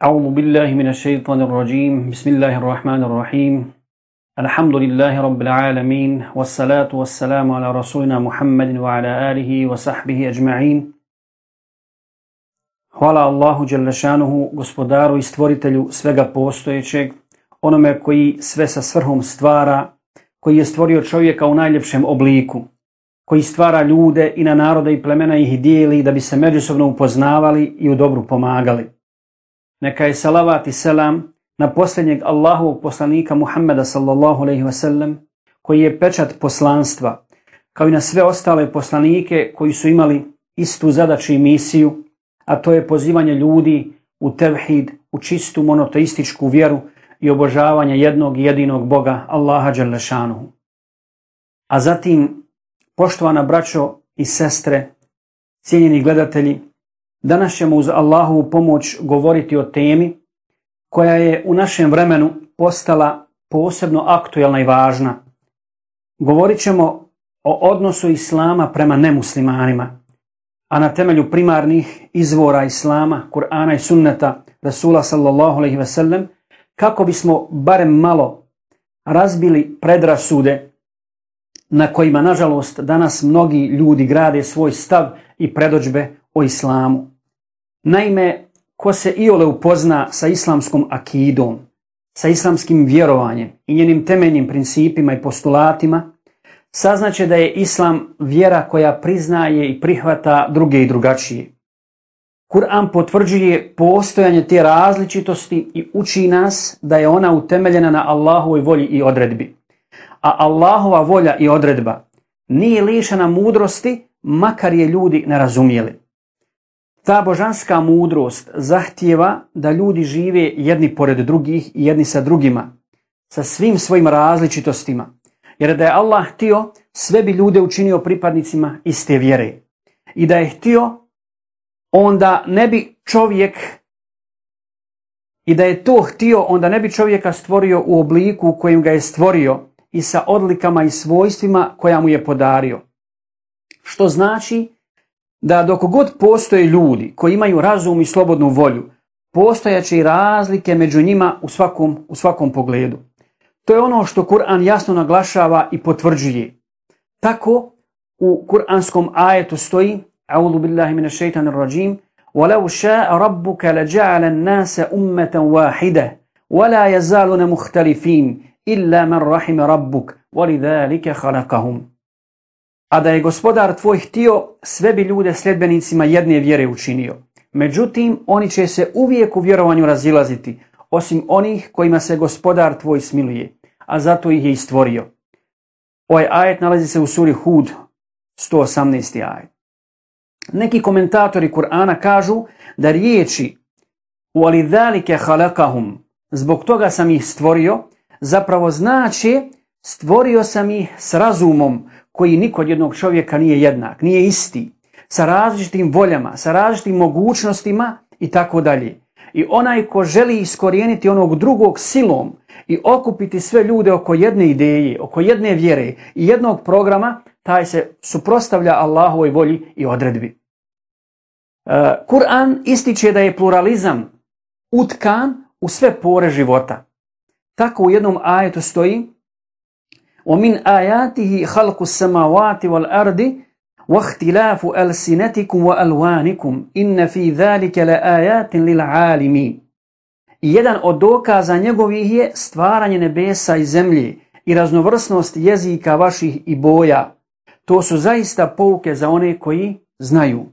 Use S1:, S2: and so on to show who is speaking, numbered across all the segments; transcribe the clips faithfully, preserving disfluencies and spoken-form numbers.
S1: أعوذ بالله من الشيطان الرجيم بسم الله الرحمن الرحيم الحمد لله رب العالمين والصلاة والسلام على رسولنا محمد وعلى آله وصحبه أجمعين. Hvala Allahu Đelešanuhu, gospodaru i stvoritelju svega postojećeg, onome koji sve sa svrhom stvara, koji je stvorio čovjeka u najljepšem obliku, koji stvara ljude i na narode i plemena ih dijeli da bi se međusobno upoznavali i u dobru pomagali. Neka je salavat i selam na posljednjeg Allahovog poslanika Muhammeda sallallahu alejhi ve sellem, koji je pečat poslanstva, kao i na sve ostale poslanike koji su imali istu zadaću i misiju, a to je pozivanje ljudi u tevhid, u čistu monoteističku vjeru i obožavanje jednog i jedinog Boga, Allaha Đelešanuhu. A zatim, poštovana braćo i sestre, cijenjeni gledatelji, danas ćemo uz Allahovu pomoć govoriti o temi koja je u našem vremenu postala posebno aktuelna i važna. Govorit ćemo o odnosu Islama prema nemuslimanima, a na temelju primarnih izvora Islama, Kur'ana i Sunneta Rasula sallallahu alejhi ve sellem, kako bismo barem malo razbili predrasude na kojima, nažalost, danas mnogi ljudi grade svoj stav i predodžbe o Islamu. Naime, ko se iole upozna sa islamskom akidom, sa islamskim vjerovanjem i njenim temeljnim principima i postulatima, saznaće da je Islam vjera koja priznaje i prihvata druge i drugačije. Kur'an potvrđuje postojanje te različitosti i uči nas da je ona utemeljena na Allahovoj volji i odredbi. A Allahova volja i odredba nije lišena mudrosti, makar je ljudi ne razumijeli. Ta božanska mudrost zahtijeva da ljudi žive jedni pored drugih i jedni sa drugima, sa svim svojim različitostima. Jer da je Allah htio, sve bi ljude učinio pripadnicima iste vjere. I da je htio, onda ne bi čovjek, i da je to htio, onda ne bi čovjeka stvorio u obliku u kojem ga je stvorio i sa odlikama i svojstvima koja mu je podario. Što znači da dok god postoje ljudi koji imaju razum i slobodnu volju, postojaće i razlike među njima u svakom, u svakom pogledu. To je ono što Kur'an jasno naglašava i potvrđuje. Tako u kuranskom ajetu stoji: A'udhu billahi minash shaitanir rajim, وَلَوْ شَاءَ رَبُّكَ لَجَعَلَ النَّاسَ أُمَّةً وَاحِدَةً وَلَا يَزَالُونَ مُخْتَلِفِينَ إِلَّا مَنْ رَحِمَ رَبُّكَ وَلِذَلِكَ خَلَقَهُمْ. A da je gospodar tvoj htio, sve bi ljude sljedbenicima jedne vjere učinio. Međutim, oni će se uvijek u vjerovanju razilaziti, osim onih kojima se gospodar tvoj smiluje, a zato ih je i stvorio. Ovaj ajet nalazi se u suri Hud, sto osamnaesti ajet. Neki komentatori Kur'ana kažu da riječi وَلِذَلِكَ خَلَقَهُمْ, zbog toga sam ih stvorio, zapravo znači stvorio sam ih s razumom koji nikod jednog čovjeka nije jednak, nije isti, sa različitim voljama, sa različitim mogućnostima i tako dalje. I onaj ko želi iskorijeniti onog drugog silom i okupiti sve ljude oko jedne ideje, oko jedne vjere i jednog programa, taj se suprotstavlja Allahovoj volji i odredbi. Uh, Kur'an ističe da je pluralizam utkan u sve pore života. Tako u jednom ajetu stoji: وَمِنْ آيَاتِهِ خَلْقُ السَّمَاوَاتِ وَالْأَرْضِ وَاخْتِلَافُ أَلْسِنَتِكُمْ وَأَلْوَانِكُمْ إِنَّ فِي ذَلِكَ لَآيَاتٍ لِلْعَالِمِينَ. I jedan od dokaza njegovih je stvaranje nebesa i zemlje i raznovrsnost jezika vaših i boja. To su zaista pouke za one koji znaju.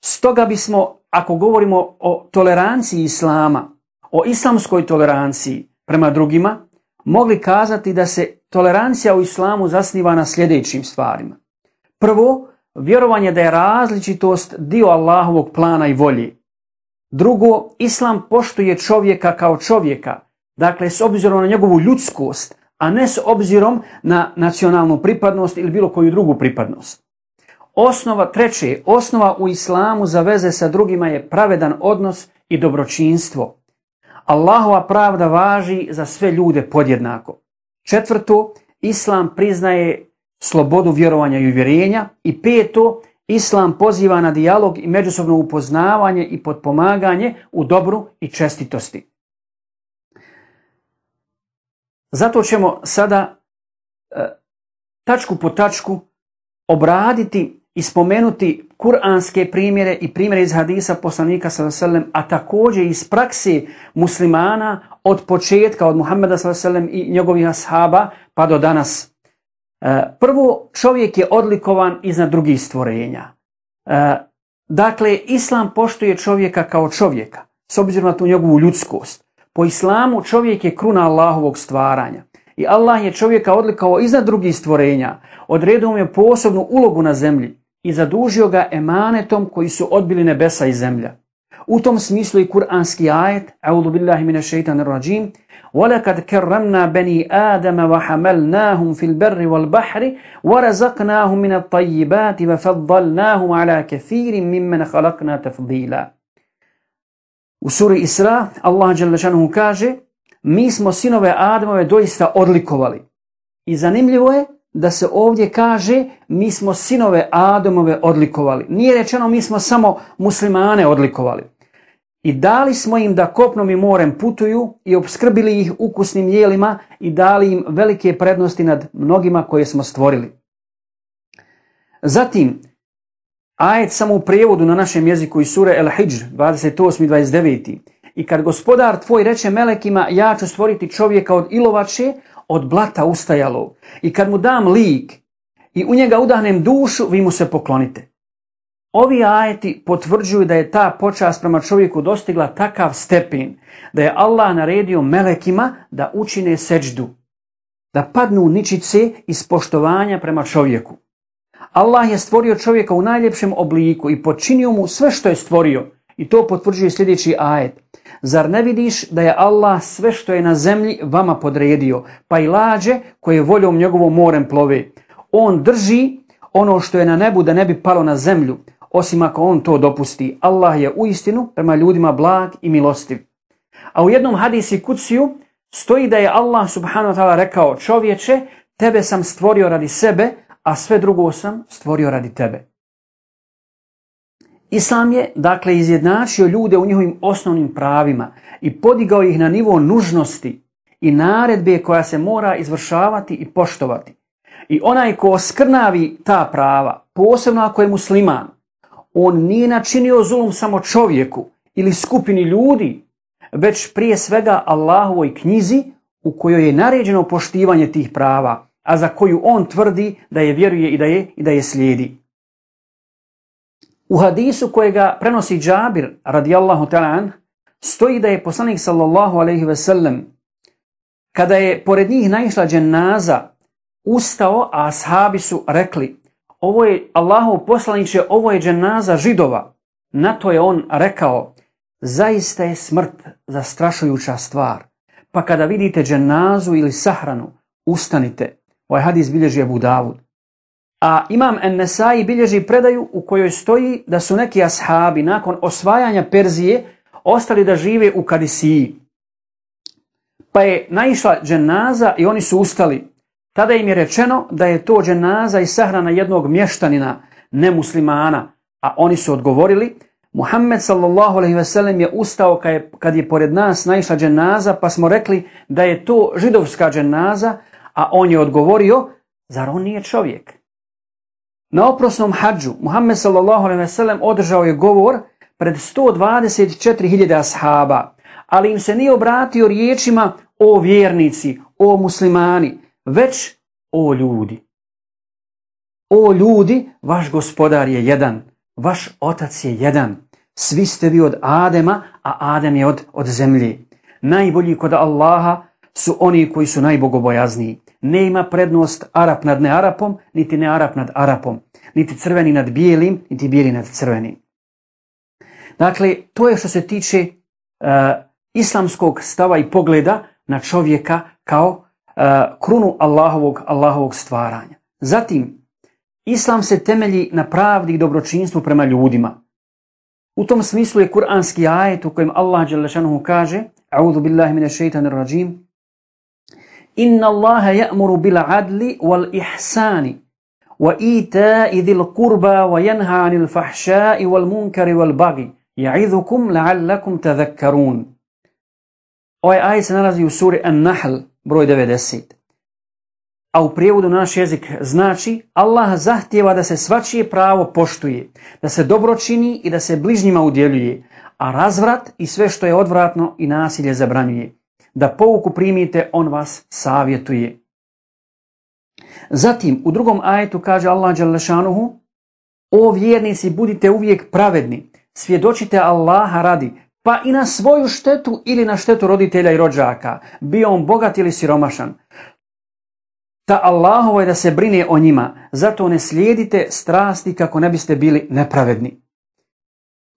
S1: Stoga bismo, ako govorimo o toleranciji Islama, o islamskoj toleranciji prema drugima, mogli kazati da se tolerancija u Islamu zasniva na sljedećim stvarima. Prvo, vjerovanje da je različitost dio Allahovog plana i volje. Drugo, Islam poštuje čovjeka kao čovjeka, dakle s obzirom na njegovu ljudskost, a ne s obzirom na nacionalnu pripadnost ili bilo koju drugu pripadnost. Osnova, treće, osnova u Islamu za veze sa drugima je pravedan odnos i dobročinstvo. Allahova pravda važi za sve ljude podjednako. Četvrto, Islam priznaje slobodu vjerovanja i uvjerenja. I peto, Islam poziva na dijalog i međusobno upoznavanje i potpomaganje u dobru i čestitosti. Zato ćemo sada e, tačku po tačku obraditi i spomenuti kuranske primjere i primjere iz hadisa poslanika sallallahu alejhi ve sellem, a također iz prakse muslimana od početka, od Muhameda sallallahu alejhi ve sellem i njegovih ashaba pa do danas. Prvo, čovjek je odlikovan iznad drugih stvorenja. Dakle, Islam poštuje čovjeka kao čovjeka, s obzirom na tu njegovu ljudskost. Po Islamu čovjek je kruna Allahovog stvaranja. I Allah je čovjeka odlikovao iznad drugih stvorenja, odredio mu je posebnu ulogu na zemlji i zadužio ga emanetom koji su odbili nebesa i zemlja. U tom smislu i kuranski ajet, A'udhu billahi minash shaitanir rajim, وَلَكَدْ كَرَّمْنَا بَنِي آدَمَ وَحَمَلْنَاهُمْ فِي الْبَرِّ وَالْبَحْرِ وَرَزَقْنَاهُمْ مِنَ الطَّيِّبَاتِ وَفَضَّلْنَاهُمْ عَلَى كَثِيرٍ مِّمَّنْ خَلَقْنَا تَفْضِيلًا. U suri Isra Allah dželle šanehu kaže: mi smo sinove Adamove doista odlikovali. I zanimljivo je da se ovdje kaže mi smo sinove Adamove odlikovali. Nije rečeno mi smo samo muslimane odlikovali. I dali smo im da kopnom i morem putuju i opskrbili ih ukusnim jelima i dali im velike prednosti nad mnogima koje smo stvorili. Zatim, ajet samo u prijevodu na našem jeziku iz sure El-Hidžr dvadeset osmi i dvadeset deveti. I kad gospodar tvoj reče melekima, ja ću stvoriti čovjeka od ilovače, od blata ustajalog. I kad mu dam lik i u njega udahnem dušu, vi mu se poklonite. Ovi ajeti potvrđuju da je ta počast prema čovjeku dostigla takav stepen da je Allah naredio melekima da učine seđdu, da padnu ničice iz poštovanja prema čovjeku. Allah je stvorio čovjeka u najljepšem obliku i počinio mu sve što je stvorio. I to potvrđuje sljedeći ajet. Zar ne vidiš da je Allah sve što je na zemlji vama podredio, pa i lađe koje voljom njegovom morem plove? On drži ono što je na nebu da ne bi palo na zemlju, osim ako on to dopusti. Allah je uistinu prema ljudima blag i milostiv. A u jednom hadisi kutsiju stoji da je Allah subhanahu wa ta'ala rekao: čovječe, tebe sam stvorio radi sebe, a sve drugo sam stvorio radi tebe. Islam je, dakle, izjednačio ljude u njihovim osnovnim pravima i podigao ih na nivo nužnosti i naredbe koja se mora izvršavati i poštovati. I onaj ko oskrnavi ta prava, posebno ako je musliman, on nije načinio zulum samo čovjeku ili skupini ljudi, već prije svega Allahovoj knjizi u kojoj je naređeno poštivanje tih prava, a za koju on tvrdi da je vjeruje i da je, i da je slijedi. U hadisu kojega prenosi Džabir radijallahu ta'ala an, stoji da je poslanik sallallahu alejhi ve sellem, kada je pored njih naišla dženaza, ustao, a ashabi su rekli: ovo je Allahov poslaniče, ovo je dženaza Židova. Na to je on rekao: zaista je smrt zastrašujuća stvar, pa kada vidite dženazu ili sahranu, ustanite. Ovaj hadis bilježi Ebu Davud. A imam En-Nesai bilježi predaju u kojoj stoji da su neki ashabi nakon osvajanja Perzije ostali da žive u Kadisiji. Pa je naišla dženaza i oni su ustali. Tada im je rečeno da je to dženaza i sahrana jednog mještanina, nemuslimana, a oni su odgovorili: Muhammed sallallahu alejhi ve sellem je ustao kad je, kad je pored nas naišla dženaza, pa smo rekli da je to židovska dženaza, a on je odgovorio: zar on nije čovjek? Na oprosnom hadžu Muhammed sallallahu alejhi ve sellem održao je govor pred sto dvadeset četiri hiljade ashaba, ali im se nije obratio riječima: o vjernici, o muslimani, već o ljudi. O ljudi, vaš gospodar je jedan, vaš otac je jedan, svi ste vi od Adema, a Adem je od, od zemlje. Najbolji kod Allaha su oni koji su najbogobojazniji. Nema prednost Arap nad nearapom, niti nearap nad Arapom, niti crveni nad bijelim, niti bijeli nad crvenim. Dakle, to je što se tiče uh, islamskog stava i pogleda na čovjeka kao uh, krunu Allahovog, Allahovog stvaranja. Zatim, Islam se temelji na pravdi i dobročinstvu prema ljudima. U tom smislu je kuranski ajet u kojem Allah dželle šanehu kaže: A'udhu billahi minash shaitanir rajim. Inna Allaha ya'muru bil adli wal ihsani وَإِيتَاءِ ذِي الْقُرْبَى وَيَنْهَى عَنِ الْفَحْشَاءِ وَالْمُنْكَرِ وَالْبَغْيِ يَعِظُكُمْ لَعَلَّكُمْ تَذَكَّرُونَ. Ovaj ajet se nalazi u suri An-Nahl, broj devedeset. A u prijevodu na naš jezik znači Allah zahtijeva da se svačije pravo poštuje, da se dobro čini i da se bližnjima udjeljuje, a razvrat i sve što je odvratno i nasilje zabranjuje. Da pouku primite, on vas savjetuje. Zatim, u drugom ajetu kaže Allah dželle šanuhu: O vjernici, budite uvijek pravedni, svjedočite Allaha radi, pa i na svoju štetu ili na štetu roditelja i rođaka, bio on bogat ili siromašan. Ta Allahovo je da se brine o njima, zato ne slijedite strasti kako ne biste bili nepravedni.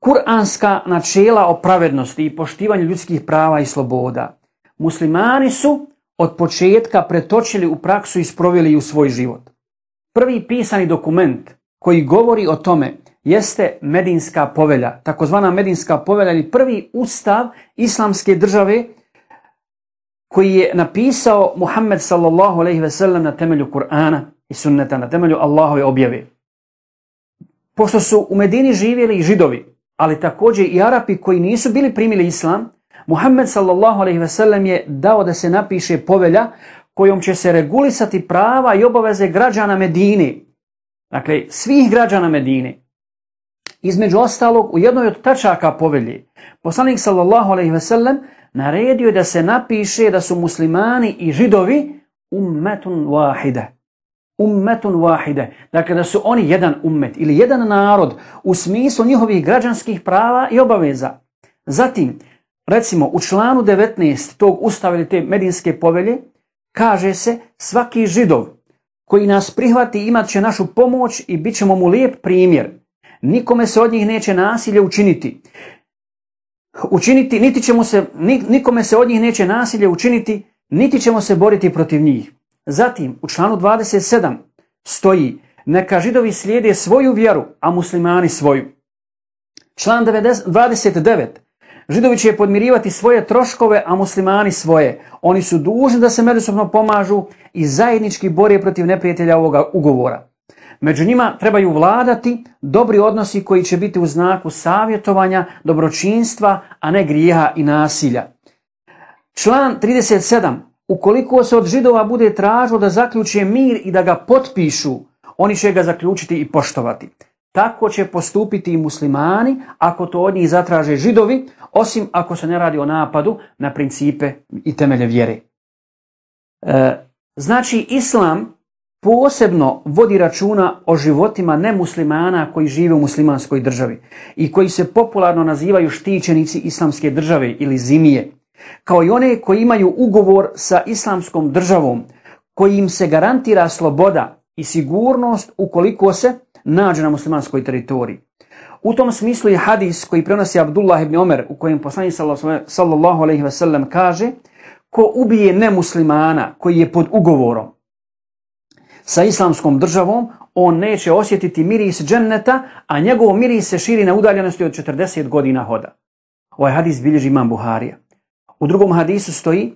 S1: Kur'anska načela o pravednosti i poštivanju ljudskih prava i sloboda muslimani su od početka pretočili u praksu i sproveli u svoj život. Prvi pisani dokument koji govori o tome jeste Medinska povelja, takozvana Medinska povelja ili prvi ustav islamske države koji je napisao Muhammed sallallahu alejhi ve sellem na temelju Kur'ana i sunneta, na temelju Allahove objave. Pošto su u Medini živjeli i Židovi, ali također i Arapi koji nisu bili primili islam, Muhammed sallallahu alejhi ve sellem je dao da se napiše povelja kojom će se regulisati prava i obaveze građana Medine. Dakle, svih građana Medine. Između ostalog, u jednoj od tačaka povelje, poslanik sallallahu alejhi ve sellem naredio je da se napiše da su muslimani i Židovi ummetun wahide. Ummetun wahide. Dakle, da su oni jedan ummet ili jedan narod u smislu njihovih građanskih prava i obaveza. Zatim, recimo, u članu devetnaest tog ustava ili te Medinske povelje kaže se: svaki Židov koji nas prihvati imat će našu pomoć i bit ćemo mu lijep primjer. Nikome se od njih neće nasilje učiniti. Učiniti, niti ćemo se, nikome se od njih neće nasilje učiniti, niti ćemo se boriti protiv njih. Zatim, u članu dvadeset sedam stoji: neka Židovi slijede svoju vjeru, a muslimani svoju. Član dvadeset devet: Židovi će podmirivati svoje troškove, a muslimani svoje. Oni su dužni da se međusobno pomažu i zajednički bore protiv neprijatelja ovoga ugovora. Među njima trebaju vladati dobri odnosi koji će biti u znaku savjetovanja, dobročinstva, a ne grijeha i nasilja. Član trideset sedam: ukoliko se od Židova bude tražilo da zaključe mir i da ga potpišu, oni će ga zaključiti i poštovati. Tako će postupiti i muslimani ako to od njih zatraže Židovi, osim ako se ne radi o napadu na principe i temelje vjere. E, znači, Islam posebno vodi računa o životima nemuslimana koji žive u muslimanskoj državi i koji se popularno nazivaju štićenici islamske države ili zimije, kao i one koji imaju ugovor sa islamskom državom, koji im se garantira sloboda i sigurnost ukoliko se nađe na muslimanskoj teritoriji. U tom smislu je hadis koji prenosi Abdullah ibn Omer, u kojem poslanik sallallahu alejhi ve sellem kaže: ko ubije nemuslimana koji je pod ugovorom sa islamskom državom, on neće osjetiti miris dženneta, a njegov miris se širi na udaljenosti od četrdeset godina hoda. Ovaj hadis bilježi imam Buharija. U drugom hadisu stoji,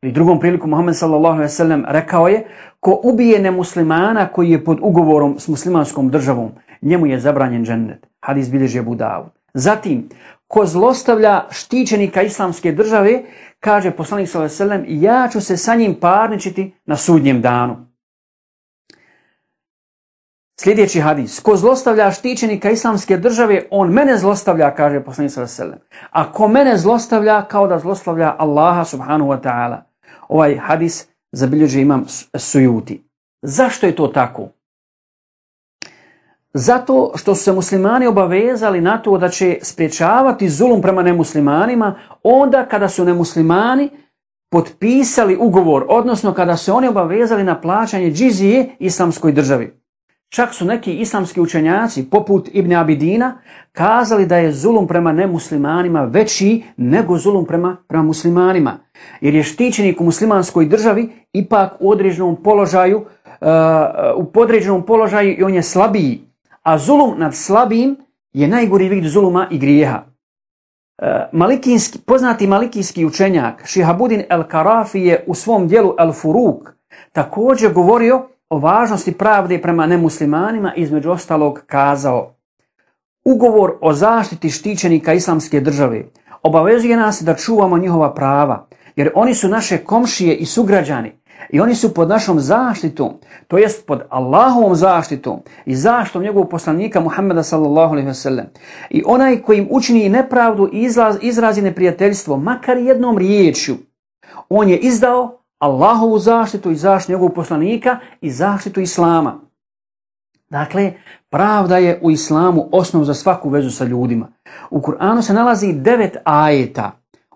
S1: i drugom priliku Muhammed sallallahu alejhi ve sellem rekao je: ko ubije nemuslimana koji je pod ugovorom s muslimanskom državom, njemu je zabranjen džennet. Hadis bilježi Abu Davud. Zatim, ko zlostavlja štićenika islamske države, kaže poslanik sallallahu alejhi ve sellem: ja ću se sa njim parničiti na sudnjem danu. Sljedeći hadis: ko zlostavlja štićenika islamske države, on mene zlostavlja, kaže poslanik sallallahu alejhi ve sellem. A ko mene zlostavlja, kao da zlostavlja Allaha subhanahu wa ta'ala. Ovaj hadis zabilježi imam Sujuti. Zašto je to tako? Zato što su se muslimani obavezali na to da će spriječavati zulum prema nemuslimanima onda kada su nemuslimani potpisali ugovor, odnosno kada su oni obavezali na plaćanje džizije islamskoj državi. Čak su neki islamski učenjaci, poput Ibn Abidina, kazali da je zulum prema nemuslimanima veći nego zulum prema, prema muslimanima. Jer je štićenik u muslimanskoj državi ipak u određenom položaju, uh, u podređenom položaju i on je slabiji. A zulum nad slabijim je najgori vid zuluma i grijeha. Uh, malikijski, poznati malikijski učenjak Šihabudin el-Karafi je u svom dijelu El-Furuk također govorio o važnosti pravde prema nemuslimanima između ostalog kazao: ugovor o zaštiti štićenika islamske države obavezuje nas da čuvamo njihova prava, jer oni su naše komšije i sugrađani i oni su pod našom zaštitom, to jest pod Allahovom zaštitom i zaštitom njegovog poslanika Muhammeda sallallahu alejhi ve sellem. I onaj koji im učini nepravdu i izraz, izrazi neprijateljstvo, makar jednom riječju, on je izdao Allahovu zaštitu i zaštitu njegovog poslanika i zaštitu Islama. Dakle, pravda je u Islamu osnov za svaku vezu sa ljudima. U Kur'anu se nalazi devet ajeta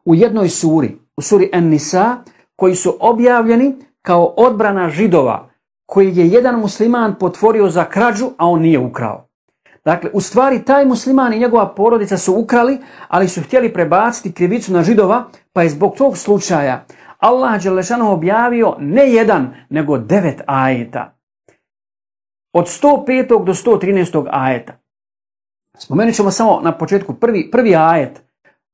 S1: u jednoj suri, u suri An-Nisa, koji su objavljeni kao odbrana Židova, koji je jedan musliman potvorio za krađu, a on nije ukrao. Dakle, u stvari taj musliman i njegova porodica su ukrali, ali su htjeli prebaciti krivicu na Židova, pa je zbog tog slučaja Allah dželle šanuhu objavio ne jedan, nego devet ajeta. Od sto petog do sto trinaestog ajeta. Spomenut ćemo samo na početku prvi, prvi ajet.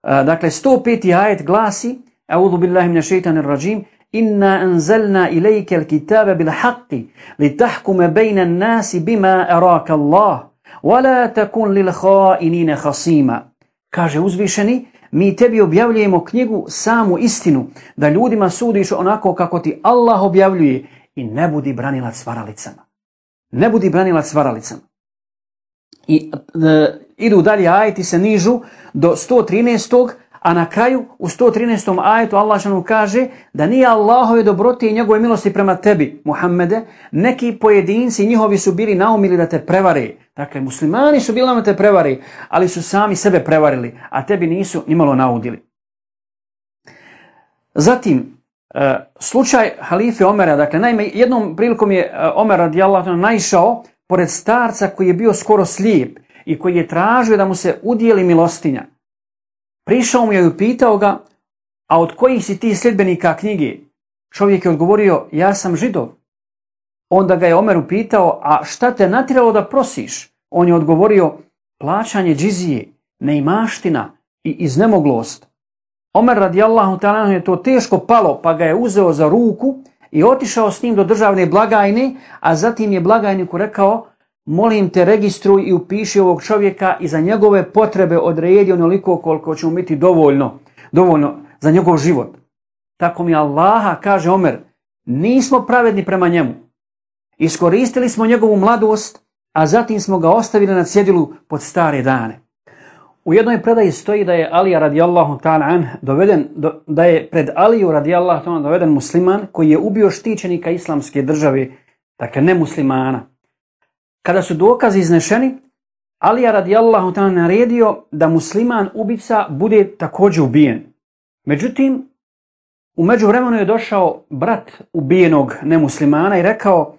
S1: Dakle, sto peti ajet glasi: A'udhu billahi minash shaitanir rajim. Inna anzalna ilayka al-kitaba bil haqqi litahkuma bayna an-nasi bima araka Allah wa la takun lil kha'inina khasima. Kaže uzvišeni: mi tebi objavljujemo knjigu samu istinu, da ljudima sudiš onako kako ti Allah objavljuje, i ne budi branilac varalicama. Ne budi branilac varalicama. I e, idu dalje ajeti, se nižu do sto trinaestog, a na kraju u sto trinaestom ajetu Allah šanu kaže da nije Allahove dobrote i njegove milosti prema tebi, Muhammede, neki pojedinci njihovi su bili naumili da te prevare. Dakle, muslimani su bili da te prevare, ali su sami sebe prevarili, a tebi nisu nimalo naudili. Zatim, e, slučaj halife Omera, dakle, naime, jednom prilikom je Omer radijallahu anhu naišao pored starca koji je bio skoro slijep i koji je tražio da mu se udijeli milostinja. Prišao mu je i upitao ga: a od kojih si ti sljedbenika knjige? Čovjek je odgovorio: ja sam Židov. Onda ga je Omer upitao: a šta te natjeralo da prosiš? On je odgovorio: plaćanje džizije, neimaština i iznemoglost. Omer radijallahu ta'ala je to teško palo, pa ga je uzeo za ruku i otišao s njim do državne blagajne, a zatim je blagajniku rekao: molim te, registruj i upiši ovog čovjeka i za njegove potrebe odredi onoliko koliko će mu biti dovoljno, dovoljno za njegov život. Tako mi Allaha, kaže Omer, nismo pravedni prema njemu. Iskoristili smo njegovu mladost, a zatim smo ga ostavili na cjedilu pod stare dane. U jednoj predaji stoji da je Alija radijallahu ta'ala an doveden, do, da je pred Aliju radijallahu ta'ala doveden musliman koji je ubio štićenika islamske države, dakle ne muslimana. Kada su dokazi iznešeni, Alija radijallahu ta'ala naredio da musliman ubica bude također ubijen. Međutim, u međuvremenu je došao brat ubijenog nemuslimana i rekao: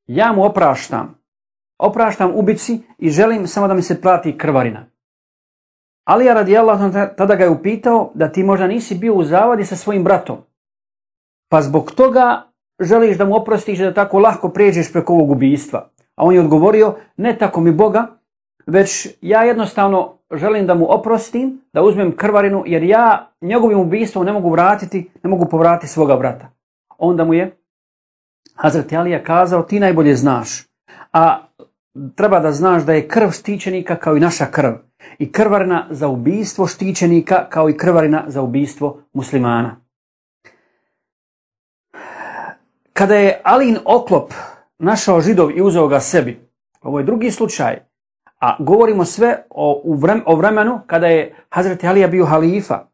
S1: ja mu opraštam, opraštam ubici i želim samo da mi se plati krvarina. Alija radijallahu ta'ala tada ga je upitao da ti možda nisi bio u zavadi sa svojim bratom, pa zbog toga želiš da mu oprostiš i da tako lahko pređeš preko ovog ubijstva. A on je odgovorio: ne tako mi Boga, već ja jednostavno želim da mu oprostim, da uzmem krvarinu, jer ja njegovim ubijstvom ne mogu vratiti, ne mogu povratiti svoga brata. Onda mu je Hazreti Alija kazao: ti najbolje znaš, a treba da znaš da je krv štićenika kao i naša krv, i krvarina za ubijstvo štićenika kao i krvarina za ubijstvo muslimana. Kada je Alijin oklop našao Židov i uzeo ga sebi, ovo je drugi slučaj, a govorimo sve o, o vremenu kada je Hazreti Alija bio halifa.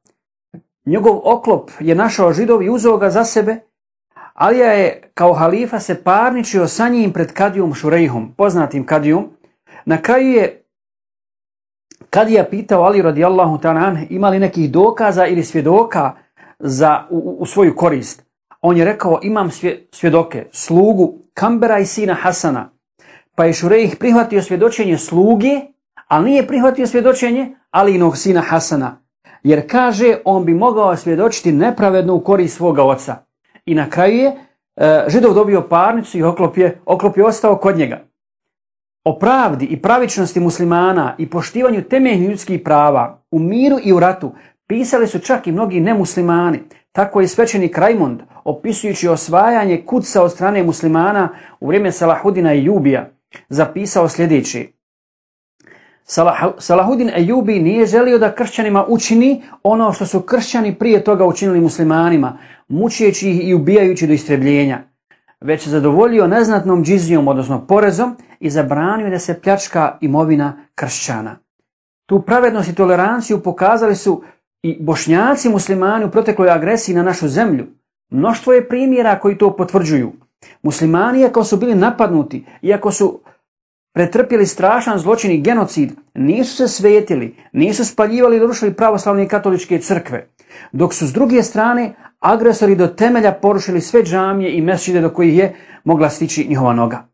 S1: Njegov oklop je našao Židov i uzeo ga za sebe. Alija je kao halifa se parničio sa njim pred kadijom Šurejhom, poznatim kadijom. Na kraju je kadija pitao Aliju radijallahu ta'ala ima li nekih dokaza ili svjedoka za, u, u svoju korist. On je rekao: imam svjedoke, slugu Kambera i sina Hasana. Pa je Šurejh prihvatio svjedočenje sluge, ali nije prihvatio svjedočenje Alijinog sina Hasana, jer kaže on bi mogao svjedočiti nepravedno u korist svoga oca. I na kraju je e, Židov dobio parnicu i oklop je, oklop je ostao kod njega. O pravdi i pravičnosti muslimana i poštivanju temeljnih ljudskih prava u miru i u ratu pisali su čak i mnogi nemuslimani. Tako je svećenik Rajmond, opisujući osvajanje Kudsa od strane muslimana u vrijeme Salahudina Ejubija, zapisao sljedeće. Salah, Salahudin Ejubi nije želio da kršćanima učini ono što su kršćani prije toga učinili muslimanima, mučijeći ih i ubijajući do istrebljenja, već se zadovoljio neznatnom džizijom, odnosno porezom, i zabranio da se pljačka imovina kršćana. Tu pravednost i toleranciju pokazali su i Bošnjaci muslimani u protekloj agresiji na našu zemlju. Mnoštvo je primjera koji to potvrđuju. Muslimani, iako su bili napadnuti, iako su pretrpjeli strašan zločin i genocid, nisu se svetili, nisu spaljivali i rušili pravoslavne i katoličke crkve, dok su s druge strane agresori do temelja porušili sve džamije i mesdžide do kojih je mogla stići njihova noga.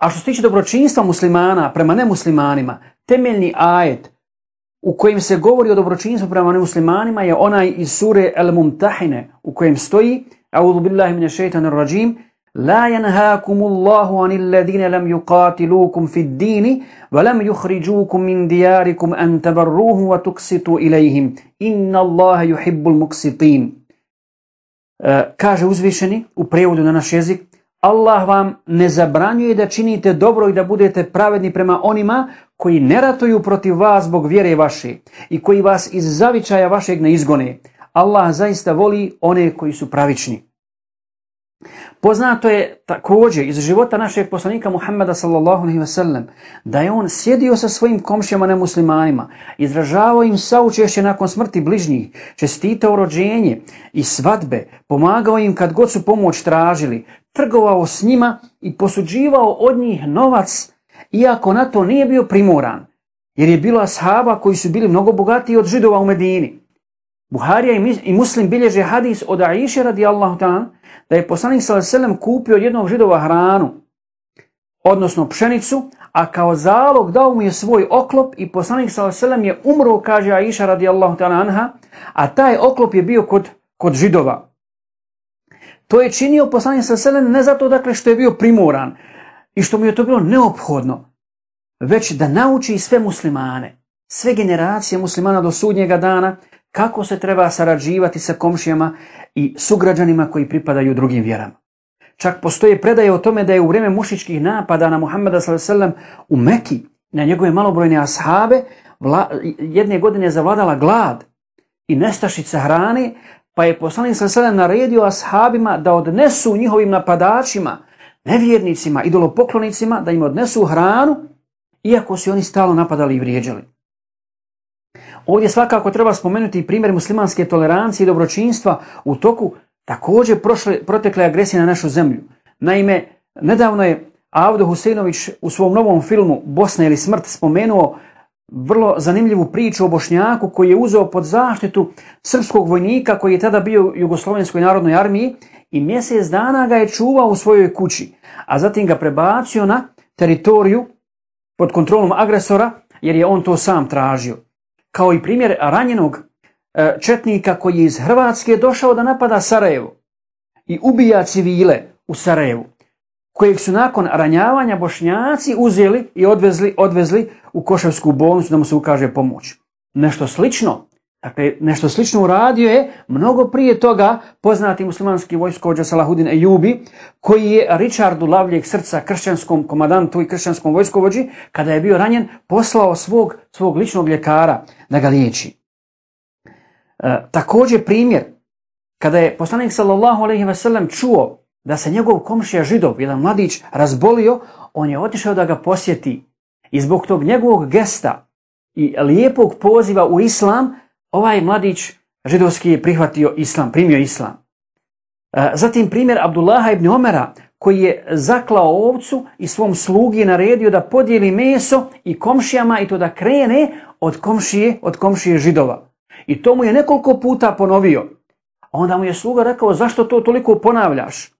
S1: A što se tiče dobročinstva muslimana prema nemuslimanima, temeljni ajet u kojem se govori o dobročinstvu prema nemuslimanima je onaj iz sure Al-Mumtahine, u kojem stoji: A'udhu billahi minash shaitanir rajim, la yanhaakumullahu anil ladina lam yuqatilukum fid din wa lam yukhrijukum min diyarikum an tabarruhum wa tuqsitu ilayhim, inna Allaha yuhibbul muqsitin. Kaže uzvišeni u prijevodu na naš jezik: Allah vam ne zabranjuje da činite dobro i da budete pravedni prema onima koji ne ratuju protiv vas zbog vjere vaše i koji vas iz zavičaja vašeg ne izgone. Allah zaista voli one koji su pravični. Poznato je također iz života našeg poslanika Muhammeda sallallahu alejhi ve sellem da je on sjedio sa svojim komšijama nemuslimanima, izražavao im saučešće nakon smrti bližnjih, čestitao rođenje i svadbe, pomagao im kad god su pomoć tražili, trgovao s njima i posuđivao od njih novac, iako na to nije bio primoran, jer je bilo ashaba koji su bili mnogo bogatiji od Židova u Medini. Buharija i Muslim bilježe hadis od Aiše radijallahu ta'ala da je poslanik sallallahu alejhi ve sellem kupio od jednog Židova hranu, odnosno pšenicu, a kao zalog dao mu je svoj oklop i poslanik sallallahu alejhi ve sellem je umro, kaže Aiša radijallahu ta'ala anha, a taj oklop je bio kod, kod Židova. To je činio poslanik sallallahu alejhi ve sellem ne zato dakle što je bio primoran i što mu je to bilo neophodno, već da nauči sve muslimane, sve generacije muslimana do sudnjega dana, kako se treba sarađivati sa komšijama i sugrađanima koji pripadaju drugim vjerama. Čak postoje predaje o tome da je u vrijeme mušičkih napada na Muhammeda sallallahu alejhi ve sellem u Meki, na njegove malobrojne ashabe, vla, jedne godine zavladala glad i nestašica hrane, pa je poslanik sallallahu alejhi ve sellem naredio ashabima da odnesu njihovim napadačima, nevjernicima, idolopoklonicima, da im odnesu hranu, iako su oni stalno napadali i vrijeđali. Ovdje svakako treba spomenuti primjer muslimanske tolerancije i dobročinstva u toku također prošle, protekle agresije na našu zemlju. Naime, nedavno je Avdo Huseinović u svom novom filmu Bosna ili smrt spomenuo vrlo zanimljivu priču o Bošnjaku koji je uzeo pod zaštitu srpskog vojnika koji je tada bio u Jugoslovenskoj narodnoj armiji i mjesec dana ga je čuvao u svojoj kući, a zatim ga prebacio na teritoriju pod kontrolom agresora jer je on to sam tražio. Kao i primjer ranjenog e, četnika koji je iz Hrvatske došao da napada Sarajevo i ubija civile u Sarajevu, kojeg su nakon ranjavanja Bošnjaci uzeli i odvezli, odvezli u Koševsku bolnicu da mu se ukaže pomoć. Nešto slično, dakle, nešto slično uradio je mnogo prije toga poznati muslimanski vojskovođa Salahudin Ejubi, koji je Richardu lavljeg srca, kršćanskom komandantu i kršćanskom vojskovođi, kada je bio ranjen, poslao svog, svog ličnog ljekara da ga liječi. E, također primjer, kada je poslanik sallallahu alejhi ve sellem čuo da se njegov komšija Židov, jedan mladić, razbolio, on je otišao da ga posjeti i zbog tog njegovog gesta i lijepog poziva u islam, ovaj mladić židovski je prihvatio islam, primio islam. Zatim primjer Abdullaha ibn Omera koji je zaklao ovcu i svom slugi naredio da podijeli meso i komšijama i to da krene od komšije, od komšije Židova. I to mu je nekoliko puta ponovio. Onda mu je sluga rekao: zašto to toliko ponavljaš?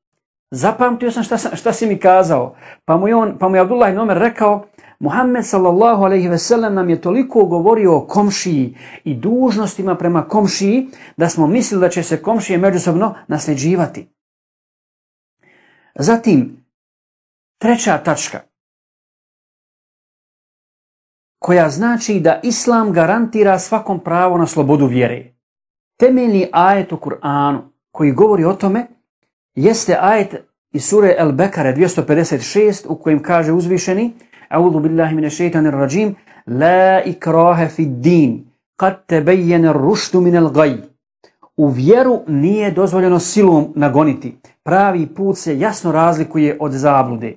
S1: Zapamtio sam šta, šta si mi kazao. Pa mu je, on, pa mu je Abdullah ibn Omer rekao: Muhammed sallallahu alejhi ve sellem nam je toliko govorio o komšiji i dužnostima prema komšiji da smo mislili da će se komšije međusobno nasljeđivati. Zatim, treća tačka, koja znači da islam garantira svakom pravo na slobodu vjere. Temeljni ajet u Kur'anu koji govori o tome jeste ajet iz sure El-Bekare dvjesto pedeset šest u kojem kaže uzvišeni: A'udhu billahi minash shaitanir rajim, la ikraha fid din, qad tabayyana ar-rushdu min al-ghayy. U vjeru nije dozvoljeno silom nagoniti. Pravi put se jasno razlikuje od zablude.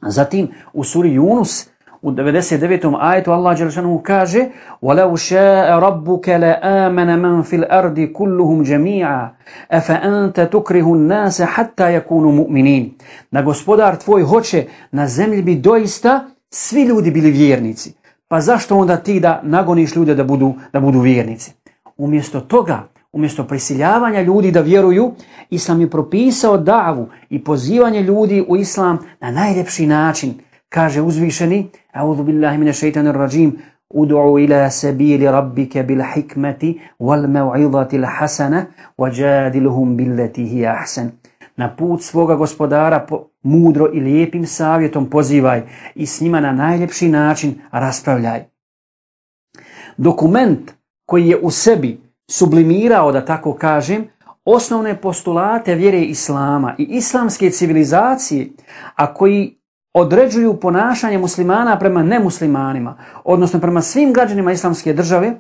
S1: Zatim u suri Yunus u devedeset devetom ajetu Allah dželle šanehu kaže: وَلَوْ شَاءَ رَبُّكَ لَآمَنَ مَنْ فِي الْأَرْضِ كُلُّهُمْ جَمِيعًا أَفَأَنْتَ تُكْرِهُ النَّاسَ حَتَّى يَكُونُوا مُؤْمِنِينَ. Da gospodar tvoj hoće, na zemlji bi doista svi ljudi bili vjernici. Pa zašto onda ti da nagoniš ljude da budu, da budu vjernici? Umjesto toga, umjesto prisiljavanja ljudi da vjeruju, Islam je propisao davu i pozivanje ljudi u Islam na najljepši način. Kaže uzvišeni: A'udhu billahi minash shaitanir rajim, ud'u ila sabili rabbika bil hikmati wal maw'izati al hasana wajadilhum billati hiya ahsan. Na put svoga gospodara po, mudro i lijepim savjetom pozivaj i s njima na najljepši način raspravljaj. Dokument koji je u sebi sublimirao, da tako kažem, osnovne postulate vjere Islama i islamske civilizacije, a koji određuju ponašanje muslimana prema nemuslimanima, odnosno prema svim građanima islamske države,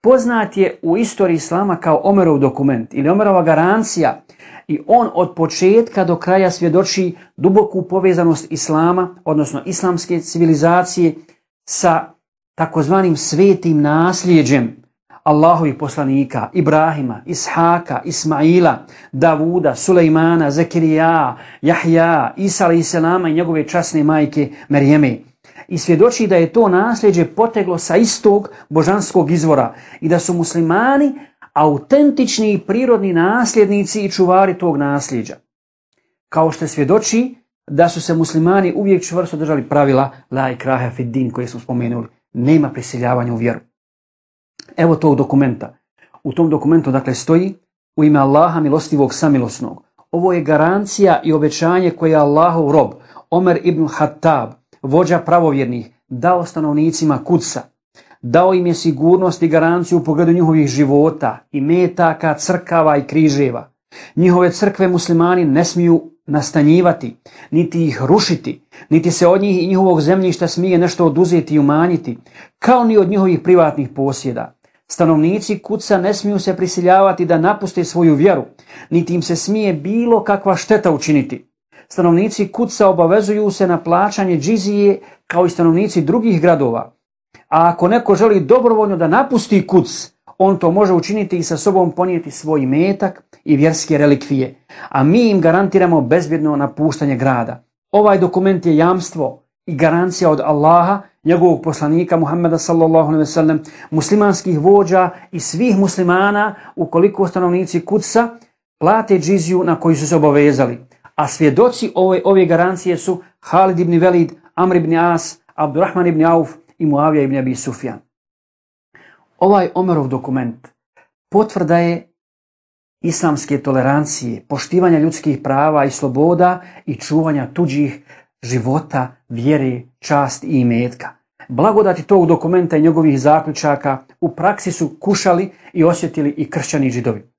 S1: poznat je u istoriji Islama kao Omerov dokument ili Omerova garancija, i on od početka do kraja svjedoči duboku povezanost Islama, odnosno islamske civilizacije, sa takozvanim svetim nasljeđem Allahovih poslanika, Ibrahima, Ishaka, Ismaila, Davuda, Sulejmana, Zekirija, Jahja, Isa alejhi selama i njegove časne majke Merijeme. I svjedoči da je to nasljeđe poteglo sa istog božanskog izvora i da su muslimani autentični i prirodni nasljednici i čuvari tog nasljeđa. Kao što svjedoči da su se muslimani uvijek čvrsto držali pravila la ikraha fid din koje smo spomenuli. Nema prisiljavanja u vjeru. Evo tog dokumenta. U tom dokumentu dakle stoji: u ime Allaha milostivog samilosnog. Ovo je garancija i obećanje koje je Allahov rob Omer ibn Hattab, vođa pravovjernih, dao stanovnicima Kudsa. Dao im je sigurnost i garanciju u pogledu njihovih života, imetaka, crkava i križeva. Njihove crkve muslimani ne smiju nastanjivati, niti ih rušiti, niti se od njih i njihovog zemljišta smije nešto oduzeti i umanjiti, kao ni od njihovih privatnih posjeda. Stanovnici Kudsa ne smiju se prisiljavati da napuste svoju vjeru, niti im se smije bilo kakva šteta učiniti. Stanovnici Kudsa obavezuju se na plaćanje džizije kao i stanovnici drugih gradova. A ako neko želi dobrovoljno da napusti Kuds, on to može učiniti i sa sobom ponijeti svoj imetak i vjerske relikvije, a mi im garantiramo bezbjedno napuštanje grada. Ovaj dokument je jamstvo i garancija od Allaha, njegovog poslanika Muhammeda sallallahu alejhi ve sellem, muslimanskih vođa i svih muslimana ukoliko stanovnici Kudsa plate džiziju na koju su se obavezali. A svjedoci ove, ove garancije su Halid ibn Velid, Amr ibn As, Abdurrahman ibn Auf i Muavija ibn Abi Sufjan. Ovaj Omerov dokument potvrda je islamske tolerancije, poštivanja ljudskih prava i sloboda i čuvanja tuđih života, vjere, čast i imetka. Blagodati tog dokumenta i njegovih zaključaka u praksi su kušali i osjetili i kršćani i židovi.